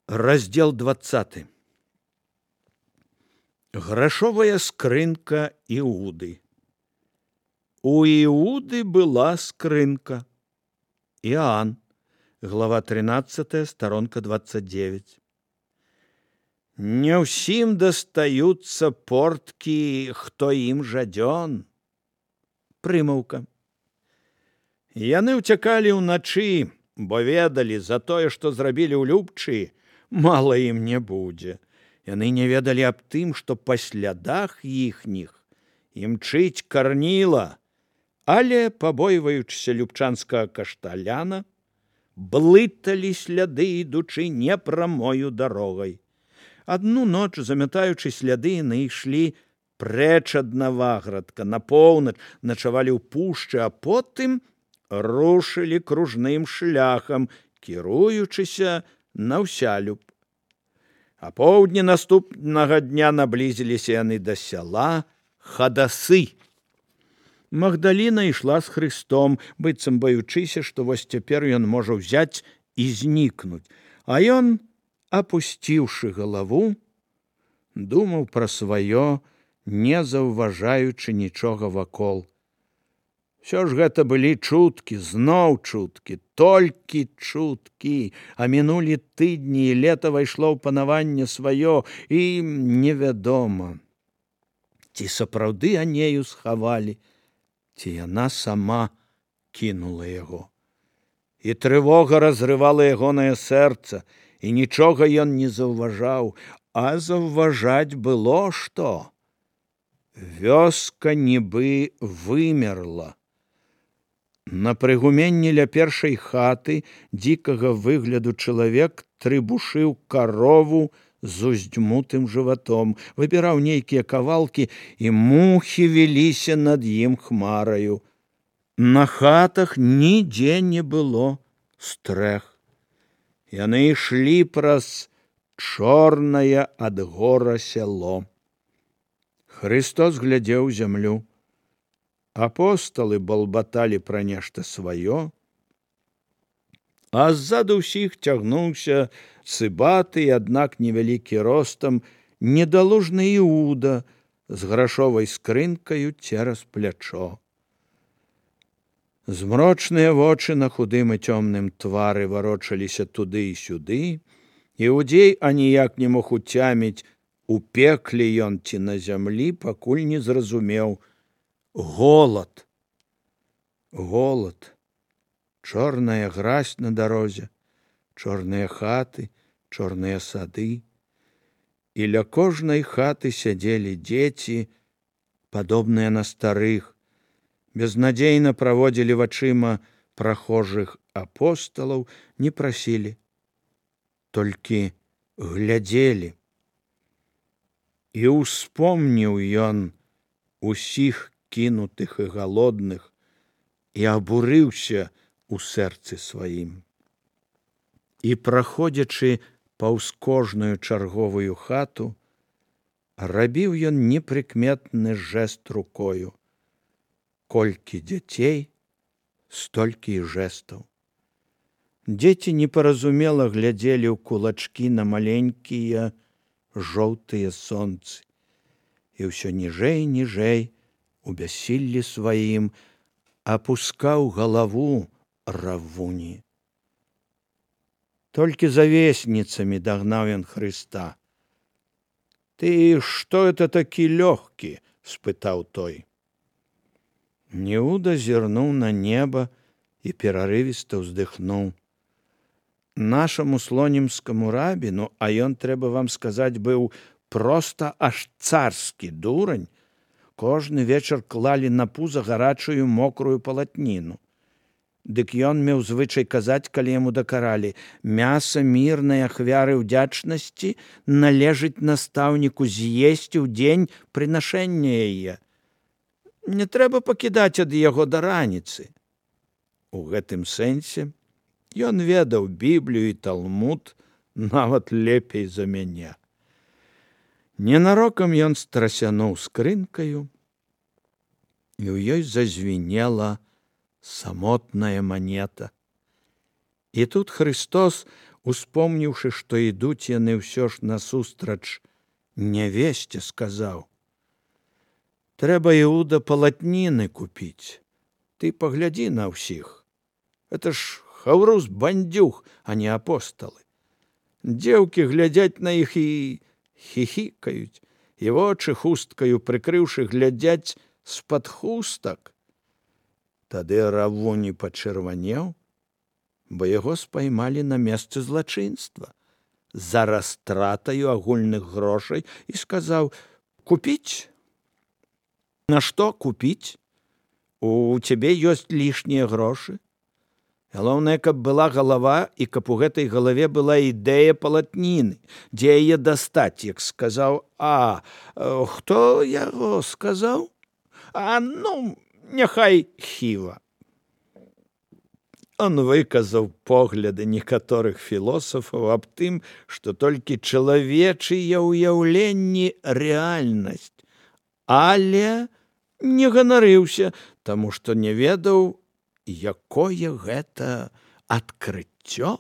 Раздел 20. Грашовая скрынка Иуды. У Иуды была скрынка. Иоанн, глава 13, сторонка 29. Не ўсім дастаюцца порткі, хто ім жадзён. Прымаўка. Яны ўцякалі ўначы, бо ведалі, за тое, што зрабілі ў любчы, мала ім не будзе. Яны не ведалі аб тым, што па слядах іхніх імчыць карніла, але, пабойваючыся любчанскага кашталяна, блыталі сляды, ідучы непрамою дарогай. Адну ноч, замятаючы сляды, яны ішлі прэч ад Наваградка, на поўнач, начавалі ў пушчы, а потым рушылі кружным шляхам, кіруючыся на Ўсялюб. А поўдні наступнага дня наблізіліся яны да сяла Хадасы. Магдаліна ішла з Христом, быццам баючыся, што вось цяпер ён можа ўзяць і знікнуць. А ён, апусціўшы галаву, думаў пра сваё, не заўважаючы нічога вакол. Усё ж гэта былі чуткі, зноў чуткі, толькі чуткі, а мінулі тыдні, і лета вайшло ў панаванне сваё, і невядома, ці сапраўды Анею схавалі, ці яна сама кінула яго. І трывога разрывала ягонае сэрца, і нічога ён не заўважаў, а заўважаць было што. Вёска нібы вымерла. На прыгуменні ля першай хаты дзікага выгляду чалавек трыбушыў карову з уздзьмутым жыватом, выбіраў нейкія кавалкі, і мухі віліся над ім хмараю. На хатах нідзе не было стрэх. Яны ішлі праз чорнае ад гора сяло. Христос глядзеў зямлю. Апосталы балбаталі пра нешта сваё, а ззаду ўсіх цягнуўся цыбаты, аднак невялікі ростам, недалужны Іуда з грашовай скрынкаю цераз плячо. Змрочныя вочы на худым і цёмным твары варочаліся туды і сюды. Іудзей аніяк не мог уцяміць, у пекле ён ці на зямлі, пакуль не зразумеў. Голад. Голад. Чорная гразь на дарозе, чорныя хаты, чорныя сады. І ля кожнай хаты сядзелі дзеці, падобныя на старых, безнадзейна праводзілі вачыма прахожых апосталаў, не прасілі, толькі глядзелі. І ўспомніў ён усіх кінутых і галодных, і абурыўся у сэрцы сваім. І, праходзячы паўз кожную чарговую хату, рабіў ён непрыкметны жэст рукою. Колькі дзяцей, столькі і жэстаў. Дзеці непаразумела глядзелі ў кулачкі на маленькія жоўтыя сонцы, і ўсё ніжэй, ніжэй, у бяссіллі сваім, апускаў галаву равуні. Толькі за весніцамі дагнаў ён Хрыста. «Ты што это такі лёгкі?» – спытаў той. Іуда зірнуў на неба і перарывіста ўздыхнуў. Нашаму слонімскаму рабіну, а ён, трэба вам сказаць, быў проста аж царскі дурань, кожны вечар клалі на пуза гарачую мокрую палатніну. Дык ён меў звычай казаць, калі яму дакаралі: «Мяса мірнай ахвяры ўдзячнасці належыць настаўніку з'есці ў дзень прынашэння яе. Не трэба пакідаць ад яго да раніцы». У гэтым сэнсе ён ведаў Біблію і Талмуд нават лепей за мяне. Ненарокам ён страсянуў скрынкаю, і ў ёй зазвінела самотная манета. І тут Христос успомніўшы, што ідуць яны ўсё ж насустрач нявесце, сказаў: «Трэба, Іуда, палатніны купіць. Ты паглядзі на ўсіх. Это ж хаўрус бандзюг, а не апосталы. Дзеўкі глядзяць на іх і хіхікаюць, і вочы хусткаю прыкрыўшы глядзяць з-пад хустак». Тады Равуні пачырванеў, бо яго спаймалі на месцы злачынства за растратаю агульных грошай і сказаў: «Купіць? На што купіць? У цябе ёсць лішнія грошы. Галоўнае, каб была галава і каб у гэтай галаве была ідэя палатніны. Дзе яе дастаць?» Як сказаў: «Хто яго сказаў? Ну, няхай Хіва». Он выказаў погляды некаторых філосафаў аб тым, што толькі чалавечыя ўяўленні рэальнасць, але не ганарыўся, таму што не ведаў, якое гэта адкрыццё